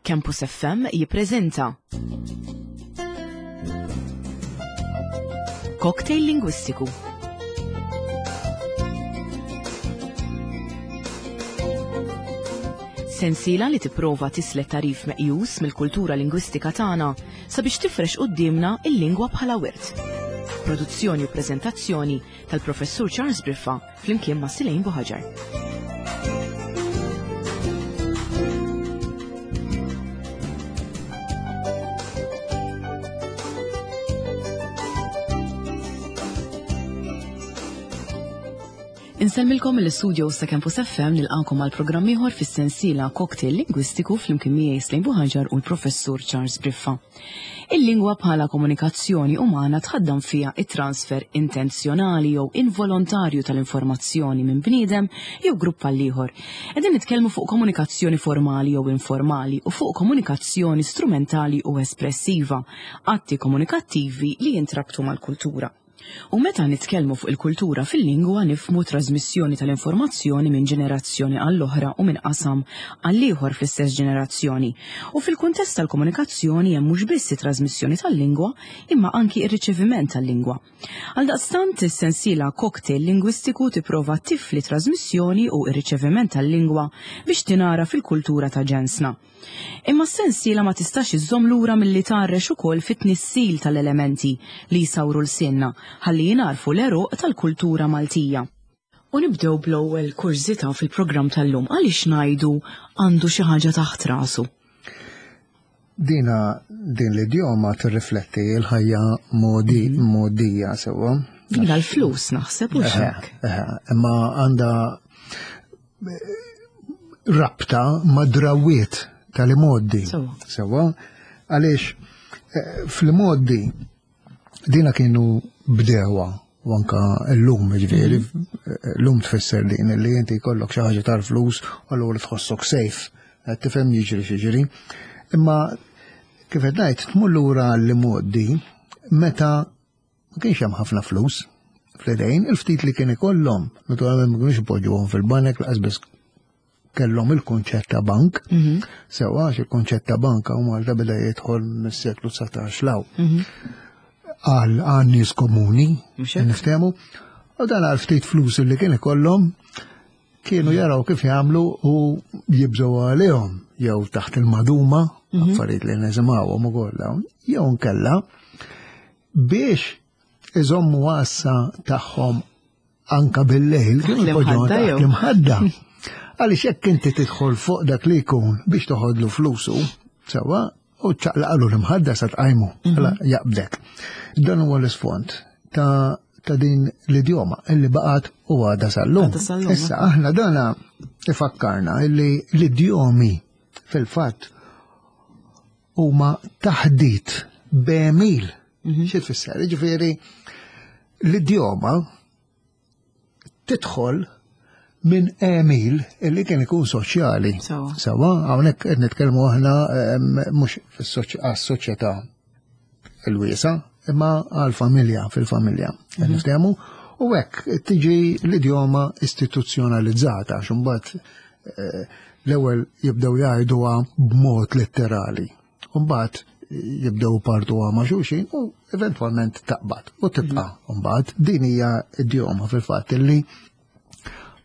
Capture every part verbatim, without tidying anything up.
Campus F M jippreżenta Cocktail Lingwistiku. Sensiela li tipprova tislet tarif meqjus mill-kultura lingwistika tagħna sabiex tifrex quddiemna il-lingwa bħala wirt. Produzzjoni u preżentazzjoni tal-Professur Charles Briffa flimkien ma' Silejn Buħaġar. Insellmilkom mill-istudio ta' Campus F M nilqakom għal programm ieħor fis-sensiela Cocktail Lingwistiku flimkien miegħi Slejn Buħaġar u l-Professur Charles Briffa. Il-lingwa bħala komunikazzjoni umana tħaddam fiha it-transfer intenzjonali jew involontarju tal-informazzjoni minn bniedem jew grupp għal ieħor. Qegħdin nitkellmu fuq komunikazzjoni formali jew informali u fuq komunikazzjoni strumentali u espressiva, atti komunikattivi li jintrabtu mal-kultura. U meta nitkellmu fuq il-kultura fil-lingwa nifhmu trasmissjoni tal-informazzjoni minn ġenerazzjoni għall-oħra u minn qasam għall-ieħor fl-istess ġenerazzjoni. U fil-kuntest tal-komunikazzjoni hemm mhux biss it-trasmissjoni tal-lingwa imma anki r-riċeviment tal-lingwa. Għaldaqstant is-sensiela Cocktail Lingwistiku tipprova tifli trasmissjoni u r-riċeviment tal-lingwa biex tinara fil-kultura ta' ġensna. Imma s-sensiela ma tistax iżżomm lura milli tgħarrex ukoll fit-tnissil tal-elementi li jsawru l-sinna ħalli jingħarfu l-għeruq tal-kultura Maltija. U nibdew bl-ewwel kurżità fil-programm tal-lum, għaliex ngħidu għandu xi ħaġa taħt rasu? Dina din l-idjoma tirrifletti l-ħajja modi, Mhm. modija sewwa. Dina l-flus naħseb u Eħe, x'hekk. eħe, imma għandha rabta ma' drawiet tal-imoddi. Sewwa. Sewwa, għaliex, eh, fl-imoddi dina kienu bdewa u anka l-lum, ġifieri, Mhm. l-lum tfisser din li inti jkollok xi ħaġa tal-flus u allura tħossok safe, qed tifhem jiġri x'jiġri. Imma kif qed ngħid tmur lura l-imoddi meta ma kienx hemm ħafna flus fl-idejn, il-ftit li kien ikollhom, naturalment ma kienux ipoġġuhom fil-banek, laqas biss kellhom il-kunċett ta' bank. Mhm. Sewwa, għax il-kunċett ta' bank hawn Malta beda jidħol mis-seklu dsatax law. Mhm. Għal għal nies komuni, Mhux hekk? niftehmu. U dan għal ftit flus li kien ikollhom kienu jaraw kif jagħmlu u jibżgħu għalihom jew taħt il-maduma, Mhm. affarijiet li nisimgħuhom ukoll dawn, jew nkella biex iżommu għassa tagħhom anka bil-lejl, Taħt kienu jpoġġuhom l-imħadda taħt jew? l-imħadda. Għaliex jekk inti tidħol fuq dak li jkun biex toħodlu flusu, sewwa, u ċaqlaqlu l-imħadda sa tqajmu, Mhm. mela jaqbdek. Dan huwa l-isfond ta', ta' din l-idjoma illi baqgħet u għadha sal-lum. Għadha sal-lum, Issa aħna dana ifakkarna illi l-idjomi fil-fatt huma taħdit b'għemil. Mhm. Xi tfisser? Jiġifieri l-idjoma tidħol minn għemil illi kien ikun soċjali. Sewwa. Sewwa, hawnhekk qed nitkellmu aħna, ehm, mhux fis-soċ-, għas-soċjetà il-wiesa, imma għall-familja, fil-familja. Qed Mhm. niftehmu? U hekk tiġi l-idjoma istituzzjonalizzata, għax imbagħad, eh, l-ewwel jibdew jgħiduha b'mod letterali. U mbagħad jibdew partuha ma' xulxin u eventwalment taqbad u tibqa'. Mhm. Mbagħad din hija idjoma fil-fatt illi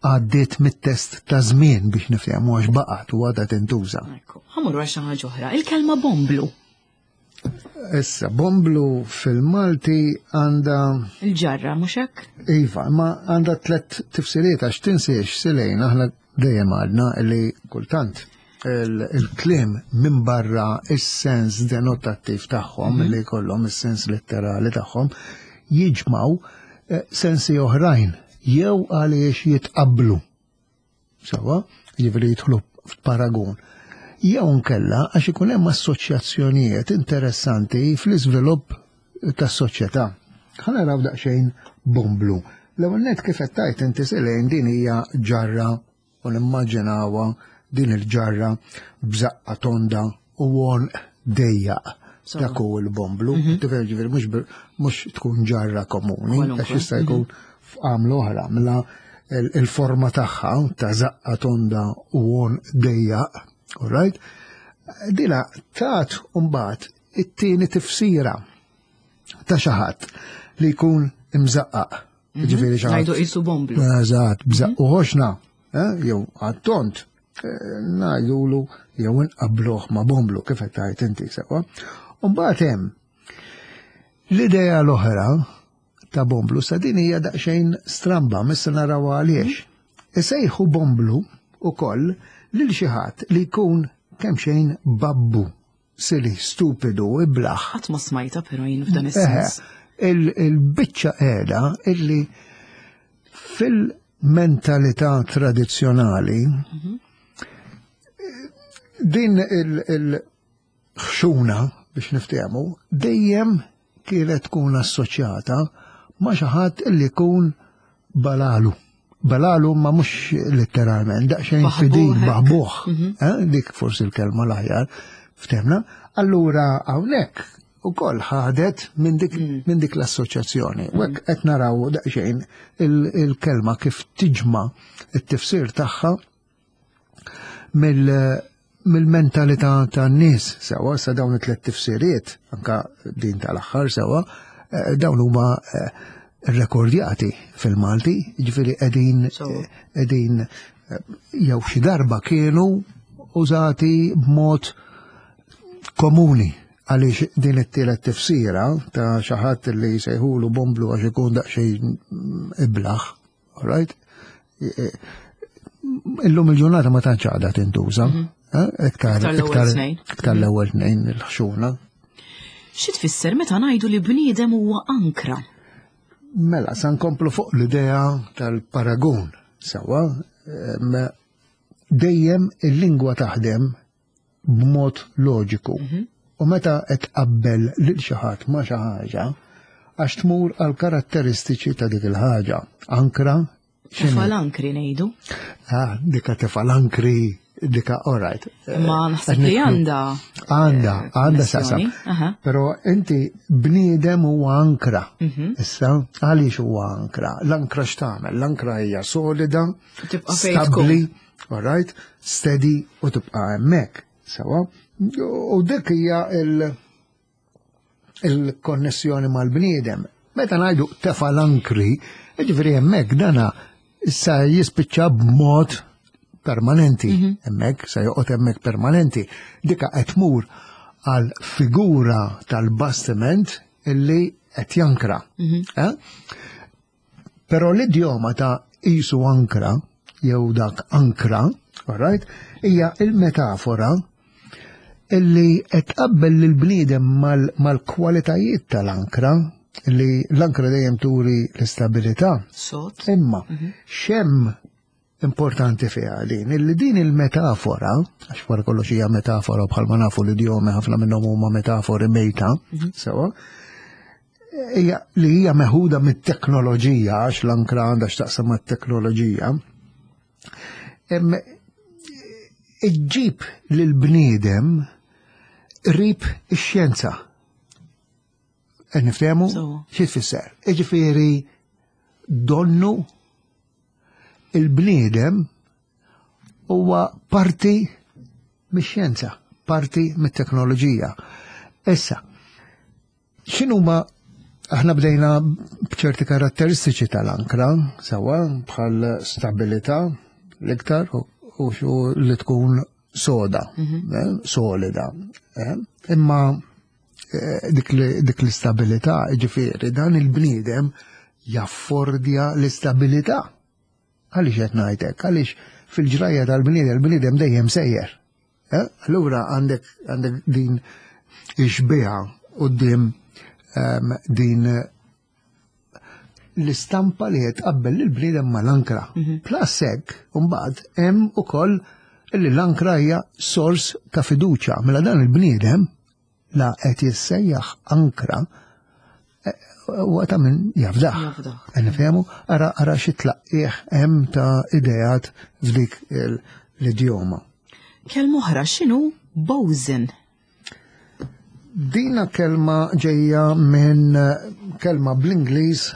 għaddiet mit-test ta' żmien biex nifhmu għax baqgħet u għadha tintuża. Ekku, ħa mmorru għal xi ħaġa oħra, il-kelma bomblu. Issa, bomblu fil-Malti għandha Il-ġarra, mhux hekk? Iva, ma għandha tliet tifsiriet għax tinsiex Silejn, aħna dejjem għadna li kultant il-, il-kliem minn barra is-sens denotattiv tagħhom, Mhm. li jkollhom is-sens letterali tagħhom, jiġmaw, eh, sensi oħrajn jew għaliex jitqablu. Sewwa, jiġifieri jidħlu f'paragun. Jew nkella għax ikun hemm assoċjazzjonijiet interessanti fl-iżvilupp tas-soċjetà. Ħa naraw daqsxejn bomblu. L-ewwel nett kif qed tgħid inti Silejn din hija ġarra u nimmaġinawha din il-ġarra b'żaqqa tonda u għonq dejjaq. Sewwa. Dak hu l-bomblu. Mhm. Tifhem, ġifieri mhux bil-, mhux tkun ġarra komuni, Kwalunkwe. għax jista' jkun Mhm. f'għamla oħra, mela il-, il-forma tagħha ta' żaqqa tonda u għonq dejjaq, all right? Dina tat mbagħad it-tieni tifsira ta' xi ħadd li jkun imżaqqaq. Ġifieri xi ħadd. Ngħidu qisu bomblu. Eżatt, bżaqqu ħoxna, eh, jew għat-tont, eh, ngħidulu jew nqabbluh ma' bomblu kif qed tgħid inti sewwa. U mbagħad hemm l-idea l-oħra ta' bomblu sa din hija daqsxejn stramba, missa naraw għaliex. Isejħu bomblu ukoll lil xi ħadd li jkun kemm xejn babbu, silly, stupidu, iblaħ. Qatt ma smajta però jien f'dan Eħe, is-sens. il- Il-biċċa qiegħda illi fil-mentalità tradizzjonali din il-ħxuna biex niftehmu dejjem kienet tkun assoċjata ma' xi ħadd illi jkun balalu. Balalu ma mhux letteralment, daqsxejn Baħbuħ fidil, hekk. baħbuħ. Eh, Dik forsi l-kelma l-aħjar, ftehmna. Allura hawnhekk ukoll ħadet minn dik, minn dik l-assoċjazzjoni. U hekk qed naraw daqsxejn il- il-kelma kif tiġma it-tifsir tagħha mill- mill-mentalità tan-nies sewwa sa dawn it-tliet tifsiriet, anka din tal-aħħar sewwa, eh, dawn huma eh, rekordjati fil-Malti, ġifieri qegħdin Sewwa. qegħdin eh, jew xi darba kienu użati b'mod komuni għaliex din it-tielet tifsira ta' xi ħadd li jsejħulu bomblu għax ikun daqsxejn iblaħ, all right? Illum il-ġurnata ma tantx għadha tintuża. eh, Iktar Iktar l-ewwel iktar tnejn. iktar l-ewwel tnejn il-ħxuna. Xi tfisser meta ngħidu li bniedem huwa ankra? Mela, sa nkomplu fuq l-idea tal-paragun. Sewwa, em, dejjem il-lingwa taħdem b'mod loġiku. U meta qed tqabbel lil xi ħadd ma' xi ħaġa, għax tmur għal karatteristiċi ta' dik il-ħaġa. Ankra, x'inhi? Tefal ankri ngħidu. Ah, dika tefal ankri, dika, all right. Ma naħseb li għandha Għanda, eh, għanda saqsam. konnessjoni. Aha. Pero inti bniedem huwa ankra. Mhm. Issa, għaliex huwa ankra? L-ankra x'tagħmel? L-ankra hija solida, Tibqa' fejn stabbli, all right, steady u tibqa' hemmhekk. Sewwa? U dik hija il- il-konnessjoni mal-bniedem. Meta ngħidu tefa l-ankri, ġifieri hemmhekk dana issa jispiċċa b'mod permanenti. Hemmhekk se joqgħod hemmhekk permanenti. Dika qed tmur għal figura tal-bastiment illi qed jankra. Eh? Però l-idjoma ta' isu ankra, jew dak ankra, all right, hija il-metafora illi qed tqabbel lill-bniedem mal- mal-kwalitajiet tal-ankra, li l-ankra dejjem turi l-istabilità. Sod. Imma x'hemm importanti fiha din, illi din il-metafora, għax wara kollox hija metafora bħalma nafu l-idjomi ħafna minnhom huma metafori mejta, sewwa, hija li hija meħuda mit-teknoloġija, għax l-ankra għandha x'taqsam mat-teknoloġija, em, iġġib lil-bniedem qrib ix-xjenza. Qed niftehmu? Sewwa. Xi tfisser? Jiġifieri donnu il-bniedem huwa parti mix-xjenza, parti mit-teknoloġija. Issa, x'inhuma aħna bdejna b'ċerti karatteristiċi tal-ankra, sewwa bħal stabilità l-iktar u u xu li tkun soda, eh, solida. eh. Imma eh, dik li- dik l-istabilità, ġifieri, dan il-bniedem jaffordja l-istabilità. Għaliex qed ngħidlek? Għaliex fil-ġrajja tal-bniedem, il-bniedem dejjem sejjer. Eh? Allura għandek għandek din ix-xbieha quddiem em, din l-istampa li qed tqabbel lill-bniedem mal-ankra. Plus hekk, mbagħad hemm ukoll li l-ankra hija sors ta' fiduċja. Mela dan il-bniedem la qed jissejjaħ ankra eh, huwa ta' min jafdaħ. Jafdaħ. Qed nifhemu, ara ara xi tlaqqieħ hemm ta' ideat f'dik il- l-idjoma. Kelma oħra x'inhu bosun? Dina kelma ġejja minn eh, kelma bl-Ingliż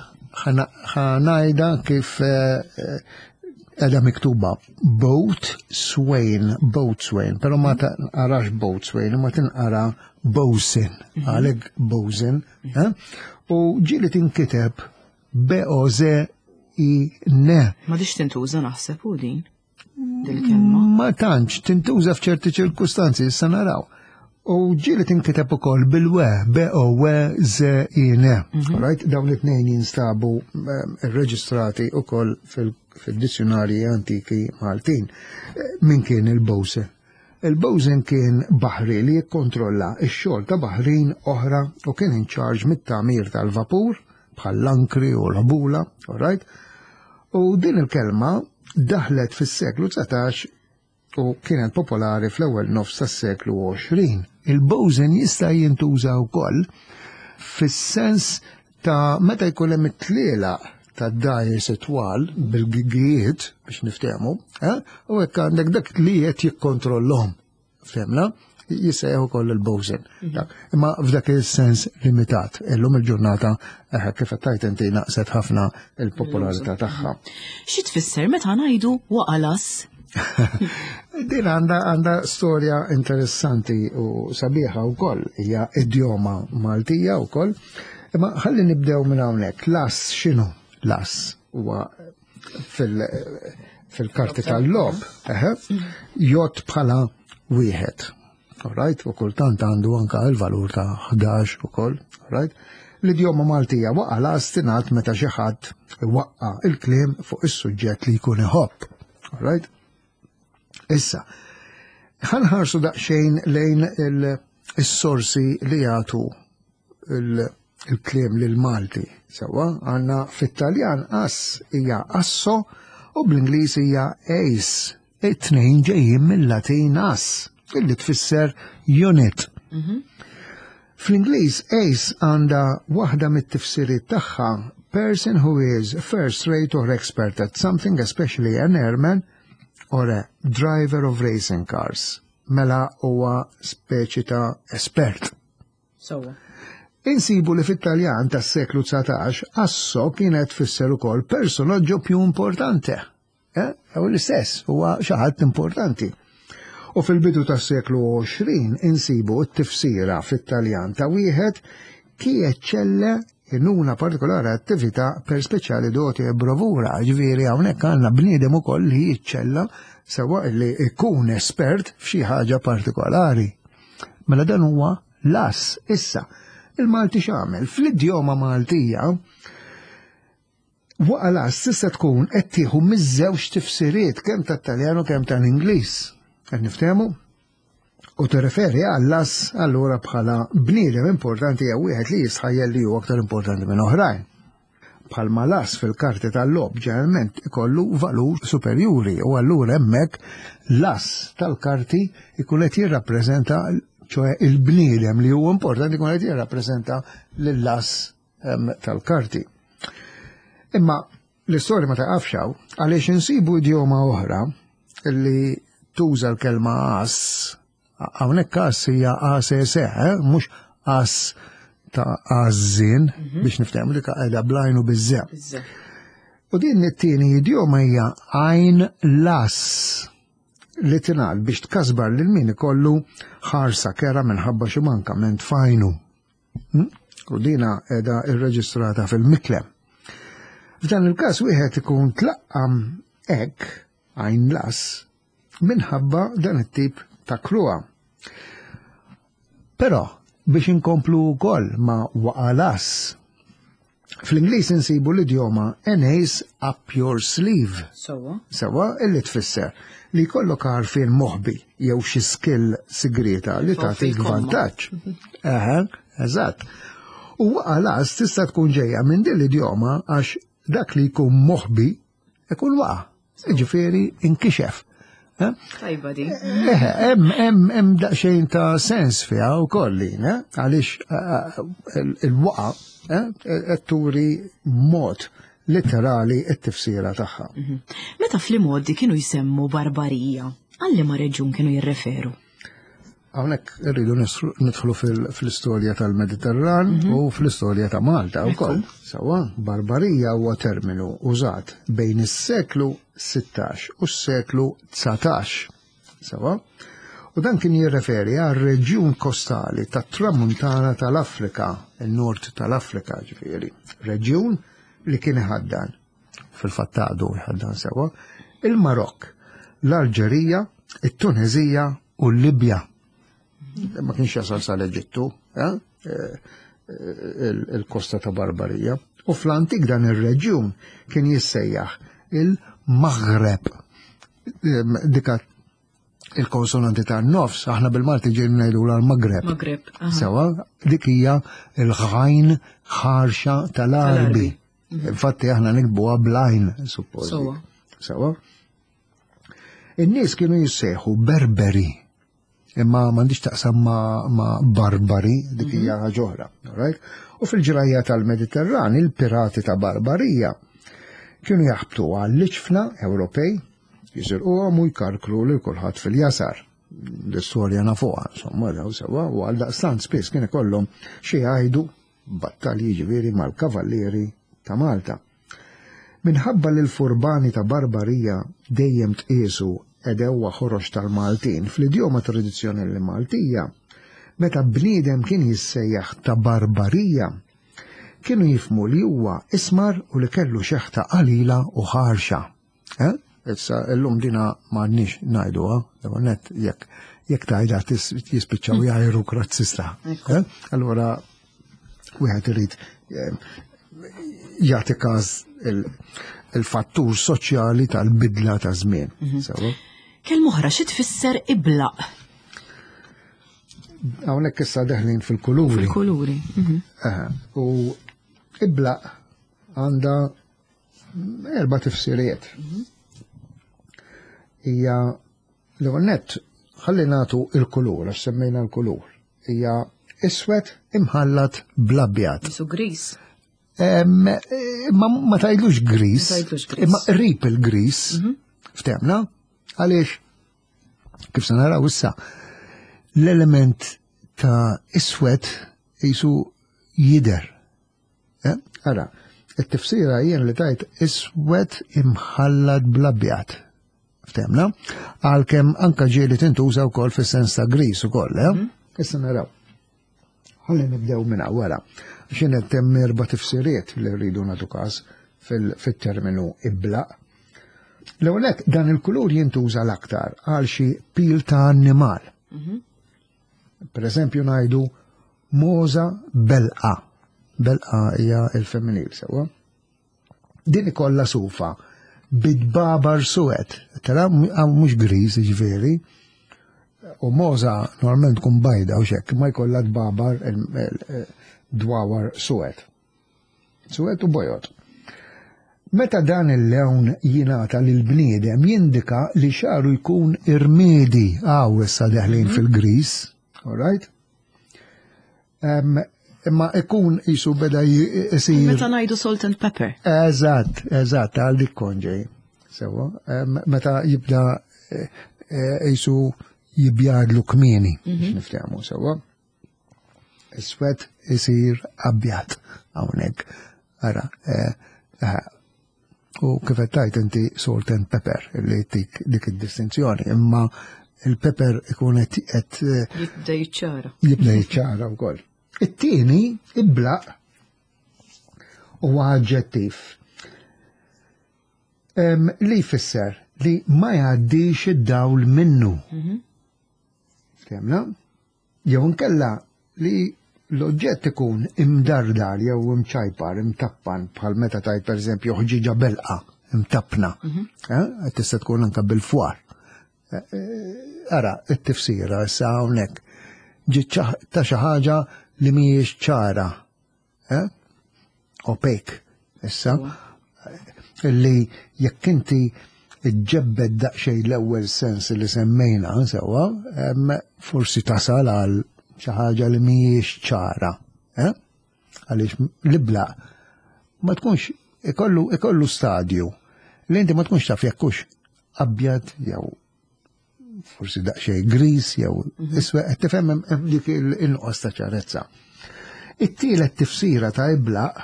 ħa ngħidha kif eh, eh, Edha miktuba boat swain, boat swain, pero ma tinqarax boat swain, ma tinqara bosun, għalek bosun, eh? U ġieli tinkiteb B O Z I N. Ma dix tintuża naħseb u din dil-kelma. Ma tantx tintuża f'ċerti ċirkustanzi, issa naraw. U ġieli tinkiteb ukoll bil-we, B O W Z I N. Right? Dawn it-tnejn jinstabu eh, irreġistrati ukoll fil-dizzjonarji antiki Maltin. Eh, Min kien il-bosun? Il-bosun kien baħri li jikkontrolla x-xogħol ta' baħrin oħra u kien in charge mit-tagħmir tal-vapur bħall-ankri u l-ħbula, all right? U din il-kelma daħlet fis-seklu dsatax u kienet popolari fl-ewwel nofs tas-seklu għoxrin. Il-bosun jista' jintuża wkoll fis-sens ta' meta jkun hemm it-tlielaq ta' dgħajjes twal bil-gigijiet biex niftehmu, eh? U hekk għandek dak li qed jikkontrollhom. Fhimna? Jissejjaħ ukoll il-bosun. Dak. Imma f'dak il-sens limitat. Illum il-ġurnata eh, kif qed tajt inti naqset ħafna il-popolarità tagħha. Xi tfisser meta ngħidu "waqa' l-ass"? Din għandha għandha storja interessanti u sabiħa wkoll, hija idjoma Maltija wkoll. Imma ħalli nibdew minn hawnhekk. L-ass x'inhu? L-ass huwa fil- fil-karti tal-logħob, eħe, jgħodd bħala wieħed. Alright, u kultant għandu anka il-valur ta' ħdax ukoll, alright? L-idjoma Maltija "waqa' l-ass" tingħad meta xi ħadd waqqa il-kliem fuq is-suġġett li jkun iħobb. Alright? Issa, ħa nħarsu daqsxejn lejn il-sorsi li jagħtu il-kliem lil Malti. Sewwa, għandna fit-Taljan ass hija asso u bl-Ingliż hija ace. It-tnejn ġejjin mill-Latin as, illi tfisser unit. Fl-Ingliż ace għandha waħda mit-tifsiriet tagħha person who is first rate or expert at something, especially an airman or a driver of racing cars. Mela huwa speċi ta' espert. Sewwa. Insibu li fit-Taljan tas-seklu dsatax asso kienet tfisser ukoll personaggio più importante. Eh? U l-istess, huwa xi ħadd importanti. U fil-bidu tas-seklu għoxrin insibu t-tifsira fit-Taljan ta' wieħed chi eccelle in una particolare attività per speciale doti e bravura, ġifieri hawnhekk għandna bniedem ukoll li jiċċella sewwa li ikun espert f'xi ħaġa partikolari. Mela dan huwa l-ass. Issa, il-Malti x'għamel? Fl-idjoma Maltija, "waqa' l-ass" tista' tkun qed tieħu miż-żewġ tifsiriet, kemm tat-Taljan u kemm tal-Ingliż. Qed niftehmu? U tirreferi għall-ass allura bħala bniedem importanti jew wieħed li jistħajjel li huwa aktar importanti minn oħrajn. Bħalma l-ass fil-karti tal-logħob ġeneralment ikollu valur superjuri u allura hemmhekk l-ass tal-karti ikun qed jirrappreżenta, ċoè il-bniedem li huwa importanti ikun qed jirrappreżenta lill-ass tal-karti. Imma l-istorja ma taqafx hawn, għaliex insibu idjoma oħra li tuża l-kelma ass. Hawnhekk ass hija A S S, eh? Mhux as ta' għażżien, biex niftehmu, dik qiegħda bl-għajn u biż-że. U din it-tieni idjoma hija "għajn l-ass", li tingħad biex tkasbar lil min ikollu ħarsa kerha minħabba xi mankament f'għajnu. Hm? U dina qiegħda irreġistrata fil-Miklem. F'dan il-każ wieħed ikun tlaqqam hekk għajn l-ass minħabba dan it-tip ta' kruha. Però biex inkomplu wkoll ma' "waqa' l-ass", fl-Ingliż insibu l-idjoma "an ace up your sleeve". Sewwa. Sewwa, illi tfisser li jkollok għarfien moħbi jew xi skill sigrita li tagħtik vantaġġ. Eħe, eżatt. U "waqa' l-ass" tista' tkun ġejja minn din l-idjoma għax dak li jkun moħbi ikun waqa'. Ġifieri inkixef. Eh? Tajba di. Eh, hemm hemm hemm daqsxejn ta' sens fiha wkoll lin, eh? Għaliex eh, il-waqa qed turi mod letterali t-tifsira tagħha. Mhm. Meta fl-imgħoddi kienu jsemmu barbarija, għal liema reġjun kienu jirreferu? Hawnhekk irridu nidħlu fl-istorja tal-Mediterran mhm. u fl-istorja ta' Malta wkoll. Sewwa, Barbarija huwa terminu użat bejn is-seklu sittax u s-seklu dsatax. Sewwa? U dan kien jirreferi għal reġjun kostali tat-tramuntana tal-Afrika, il-nord tal-Afrika ġifieri. Reġjun li kien iħaddan, fil-fatt għadu jħaddan sewwa, il-Marokk, l-Alġerija, it-Tunezija u l-Libja. Ma kienx jasal sal-Eġittu, eh? eh, il-kosta ta' Barbarija. U fl-antik dan ir-reġjun kien jissejjaħ il-Maghreb. Dika il-konsonanti ta' nofs, aħna bil-Malti ġejn ngħidu l-Maghreb. Maghreb. Sewa, dik hija il-ħajn ħarxa tal-Arbi. Mhm. Infatti aħna nikbuha blajn, suppost. Sewa. Sewa. In-nies kienu jissejħu Berberi imma m'għandix taqsam ma', ma barbari, dik hija mhm. ħaġa oħra. Right? U fil-ġrajja tal-Mediterran, il-pirati ta' Barbarija kienu jaħbtu għall-iċfna Ewropej, jisirquhom u jkarkru lil kulħadd fil-jasar. L-istorja nafuha, insomma, daw sewa, u għal daqstant spiss kien ikollhom xi jgħidu battalji ġifieri mal-kavallieri ta' Malta. Minħabba li l-furbani ta' Barbarija dejjem tqiesu għedewwa ħorox tal-Maltin, fl-idjoma tradizzjonali Maltija, meta bniedem kien jissejjaħ ta' Barbarija, kienu jifhmu li huwa ismar u li kellu xeħta qalila u ħarxa. Eh? Issa illum dina m'għandniex ngħiduha, l-ewwel nett jekk jekk tgħidha jispiċċaw jgħajruk razzista. Eh? Allura wieħed irid eh, jagħti każ il-fattur soċjali tal-bidla ta' żmien. Mhm. Kelma oħra xi tfisser iblaq? Hawnhekk issa deħlin fil-kuluri. Fil-kuluri. Mhm. U iblaq għandha erba' tifsiriet. Mhm. Hija l-ewwel nett ħalli nagħtu il-kulur, għax semmejna l-kulur. Hija iswed imħallat bl-abjad. Isu gris. Ma, ma tgħidlux gris, imma qrib il-gris, mhm. ftemna, għaliex, kif se naraw issa, l-element ta' iswed jisu jider. Eh? Ara, it-tifsira jien li tajt iswed imħallat bl-abjad. Ftemna, għalkemm anka ġieli tintuża wkoll fis-sens ta' gris ukoll, eh? Mhm. Issa naraw. Ħalli nibdew minn wara. X'in qed hemm erba' tifsiriet li rridu nagħtu każ fil-terminu iblaq. L-ewwel dan il-kulur jintuża l-aktar għal xi pil ta' annimal. Mhm. Per eżempju ngħidu moza belqa. Belqa hija il-femminil sewwa. Din ikollha sufa bidbabar suwed, tara mhux griż ġifieri. U moza normalment tkun bajda u xek, ma jkollha dbabar dwawar suwed. Suwed u bojod. Meta dan il-lewn jingħata lil bniedem jindika li xaru jkun irmiedi għaw issa deħlin mhm. fil-gris, all right? Imma ikun jisu beda jisir. Meta ngħidu salt and pepper. Eżatt, eżatt, għal dik konġej. Sewa, meta jibda jisu jibjadlu kmieni, biex mhm. niftehmu sewa. Iswed isir abjad hawnhekk. Ara, eh, eh, u kif qed tajt inti salt and pepper li tik dik id-distinzjoni, imma il-pepper ikun qed eh, jibda jiċċara. Jibda jiċċara wkoll. It-tieni iblaq huwa aġġettiv li jfisser li ma jgħaddix id-dawl minnu. Mhm. Ftemna? Jew nkella li l-oġġett ikun imdardar jew imċajpar, imtappan, bħal meta tajt per eżempju ħġiġa belqa, imtappna. Mhm. Eh? Tista' tkun anka bil-fwar. Eh, eh, ara, it-tifsira issa hawnhekk ġiet ta' xi ħaġa li mhijiex ċara. Opek, issa, li jekk inti ġebbed daqsxejn l-ewwel sens li semmejna sewwa, forsi tasal għal xi ħaġa li mhijiex ċara. Eh? Għaliex l-ibla ma tkunx ikollu ikollu stadju li inti ma tkunx taf jekk hux abjad jew forsi daqsxejn gris jew iswed, qed tifhem hemm dik il-inqos ta' ċarezza. It-tielet tifsira ta' iblaq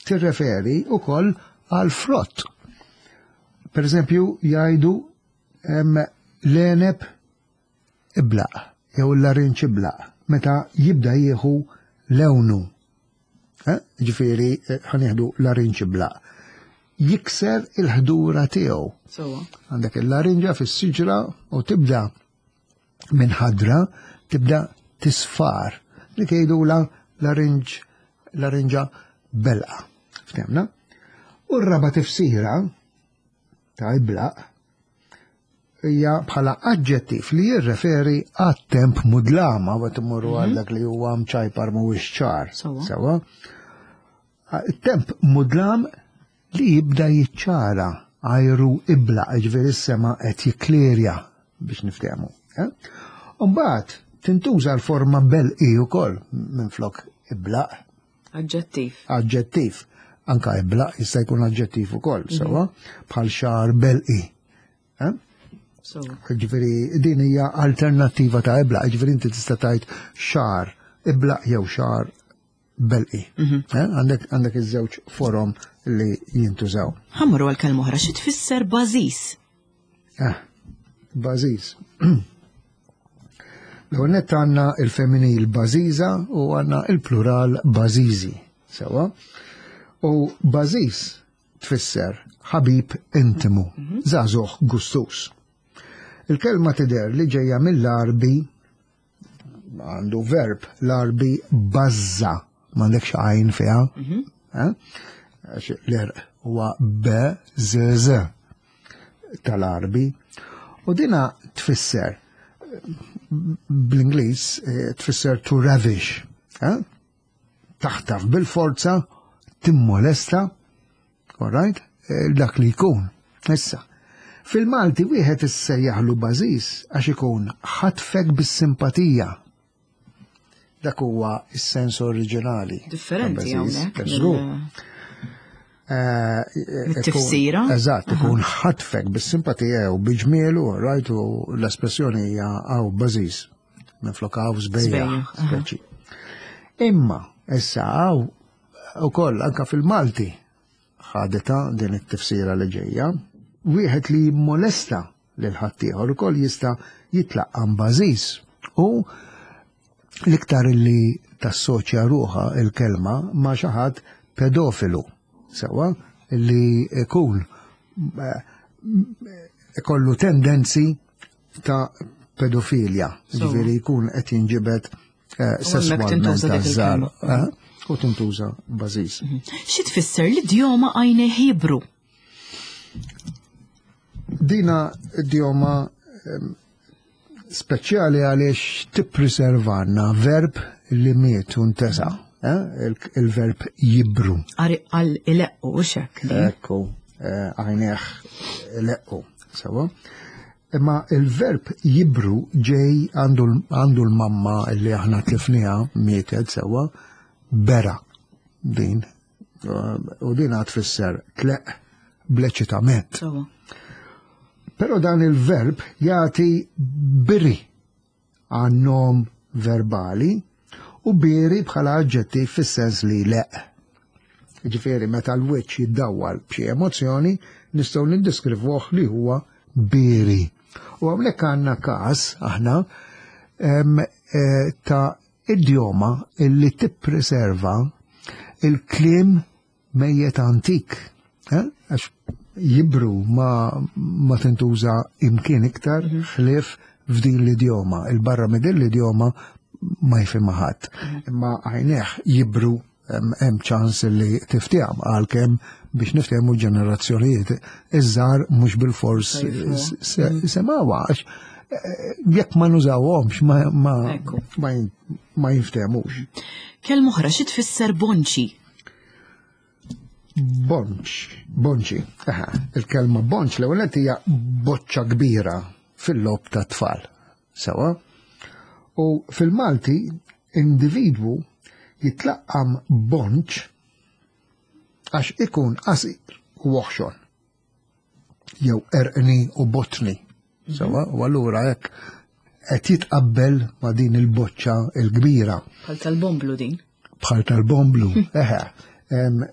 tirreferi wkoll għal frott. Per eżempju, jgħidu l-għeneb iblaq jew l-larinġ iblaq meta jibda jieħu lewnu. Eh? Ġifieri ħa nieħdu larinġ iblaq. Jikser il-ħdura tiegħu. Għandek il-larinġa fis-siġra u tibda minn ħadra tibda tisfar. Li tgħidula larinġ larinġa belqa. Ftemna? U r-raba tifsira ta' iblaq hija bħala aġġettiv li jirreferi għat-temp mudlama u tmurru għal dak li huwa mċajpar mhuwiex ċar. Sewa. Temp mudlam li jibda jiċċara ajru iblaq, ġifieri s-sema qed jiklirja biex niftehmu. Mbagħad tintuża l-forma belqi wkoll minflok iblaq. Aġġettiv. Aġġettiv. Anka iblaq jista' jkun aġġettiv ukoll, sewa, bħal xagħar belqi. Ġifieri din hija alternattiva ta' iblaq, ġifieri inti tista' tgħid xagħar iblaq jew xagħar belqi. Għandek għandek iż-żewġ forom li jintużaw. Ħa mmorru għal kelma oħra, xi tfisser bażis? Ah, bażis. L-ewwel nett għandna il-femminil bażiża u għandna il-plural bażiżi. Sewa? U bażiż tfisser ħabib intimu, żagħżugħ gustus. Il-kelma tidher li ġejja mill-Arbi, għandu verb l-Arbi bazza, m'għandekx għajn fiha, għax l-erq huwa B Z Z tal-Arbi. U dina tfisser bl-Ingliż tfisser to ravish, taħtaf bil-forza, timmolesta, all right, dak li jkun. Issa, fil-Malti wieħed issejjaħlu bażiż għax ikun ħatfek bis-simpatija. Dak huwa s-sens oriġinali. Differenti hawnhekk. Tifsira. Eżatt, ikun ħatfek bis-simpatija u biġmielu, right, u l-espressjoni hija għaw bażiż minflok għaw sbejjaħ, speċi. Imma issa għaw ukoll anka fil-Malti ħadeta din it-tifsira li ġejja, wieħed li jimmolesta lil ħaddieħor ukoll jista' jitlaqqam bażiż. U l-iktar li tassoċja ruħha il-kelma ma' xi ħadd pedofilu, sewa li ikun ikollu tendenzi ta' pedofilja, ġifieri jkun qed jinġibed sesswalment taż-żgħar. U tintuża bażiż. Xi tfisser l-idjoma għajnejh jibru? Dina idjoma speċjali għaliex tippreservanna verb li miet u ntesa, il-verb jibru. Għal ileqqu u xek. Ekku, għajnejh ileqqu, sewa. Imma il-verb jibru ġej għandu l-mamma li aħna tlifniha mietet, sewa, bera din. U din għad tfisser tleq bleċitament. Pero dan il-verb jagħti biri għan-nom verbali u biri bħala aġġettiv fis-sens li leq. Ġifieri meta l-wiċċ jiddawwal b'xi emozzjoni nistgħu niddiskrivuh li huwa biri. U hawnhekk għandna każ aħna ta' idjoma illi tippreserva il-kliem mejjet antik. Għax jibru ma, ma tintuża imkien iktar ħlief f'din l-idjoma. Il-barra minn din l-idjoma ma jifhimha ħadd. Imma għajnejh jibru hemm ċans li tiftehom għalkemm biex niftehmu ġenerazzjonijiet iż-żgħar mhux bil-fors semgħuha għax jekk ma nużawhomx ma ma ma jinftehmux. Kelma oħra xi tfisser bonċi? Bonċ, bonċi. Aha, il-kelma bonċ l-ewwel hija boċċa kbira fil-logħob ta' tfal. Sewa? U fil-Malti individwu jitlaqqam bonċ għax ikun qasir u oħxon jew erqni u botni. Sewwa, u allura hekk qed jitqabbel ma' din il-boċċa il-kbira. Bħal tal-bomblu din. Bħal tal-bomblu, eħe.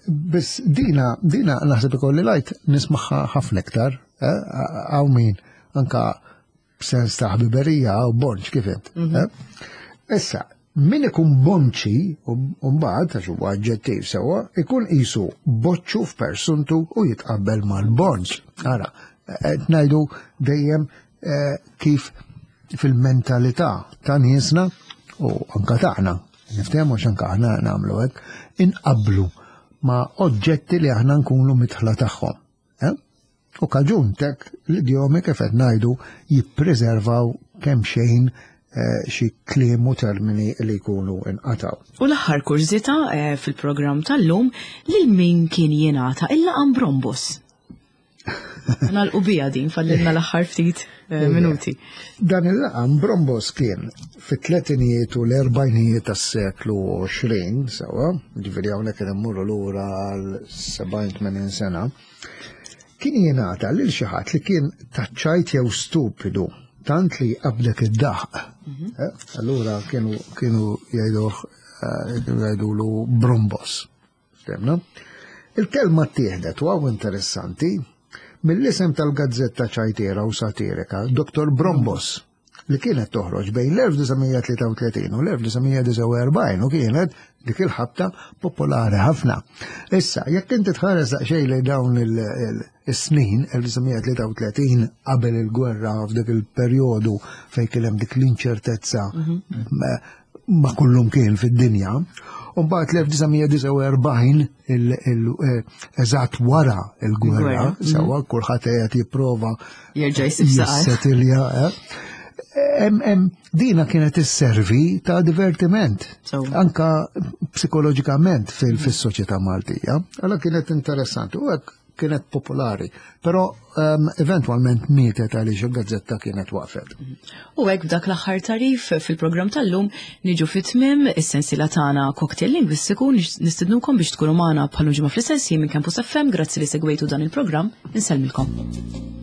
Biss dina, dina naħseb ikolli lajt nismaħħa ħafna iktar, hawn min anka b'sens ta' ħbiberija u bonċ kif int. Issa, min ikun bonċi, u mbagħad għax huwa aġġettiv sewwa, ikun qisu boċċu f'persuntu u jitqabbel mal-bonċ. Ara, qed ngħidu dejjem kif fil-mentalità ta' niesna u anka tagħna, niftehmu għax anka aħna nagħmlu hekk, inqablu ma' oġġetti li aħna nkunu mitħla tagħhom. U kaġun tek l-idjomi kif qed ngħidu jippreservaw kemm xejn xi kliem u termini li jkunu inqataw. U l-aħħar kurżità fil-programm tal-lum lil min kien jingħata il-laqam Brombos. Nagħlqu bija din fallilna l-aħħar ftit minuti. Dan il-laqam Brombos kien fit-tletinijiet u l-erbajnijiet tas-seklu għoxrin, sewwa, ġifieri hawnhekk qed immorru lura għal sebgħin tmenin sena, kien jingħata lil xi ħadd li kien taċċajt jew stupidu, tant li qabdek id-daħq. Allura kienu kienu jgħiduh jgħidulu Brombos. Ftemna? Il-kelma ttieħdet u hawn interessanti mill-isem tal-gazzetta ċajtiera u satirika Doktor Brombos, li kienet toħroġ bejn l-elf disa' mija tlieta u tletin u l-elf disa' mija disgħa u erbgħin u kienet dik il-ħabta popolari ħafna. Issa, jekk inti tħares daqsxejn lejn dawn is-snin, elf disa' mija tlieta u tletin qabel il-gwerra f'dik il-perjodu fejn kien hemm dik l-inċertezza ma' kullum kien fid-dinja, u mbagħad l-elf disa' mija disgħa u erbgħin eżatt wara l-gwerra, sewwa kulħadd qiegħed jipprova jerġa' jsib saqar. Jissetilja, eh? Dina kienet isservi ta' divertiment, anka psikoloġikament fis-soċjetà Maltija. Allora kienet interessanti u hekk kienet popolari, però eventwalment mietet għaliex il-gazzetta kienet waqfet. U hekk b'dak l-aħħar tarif fil-programm tal-lum niġu fit-tmiem is-sensiela tagħna Cocktail Lingwistiku. Nistednukom biex tkunu magħna bħal ġimgħa fl-istess ħin minn Campus F M. Grazzi li segwejtu dan il-programm, insellmilkom.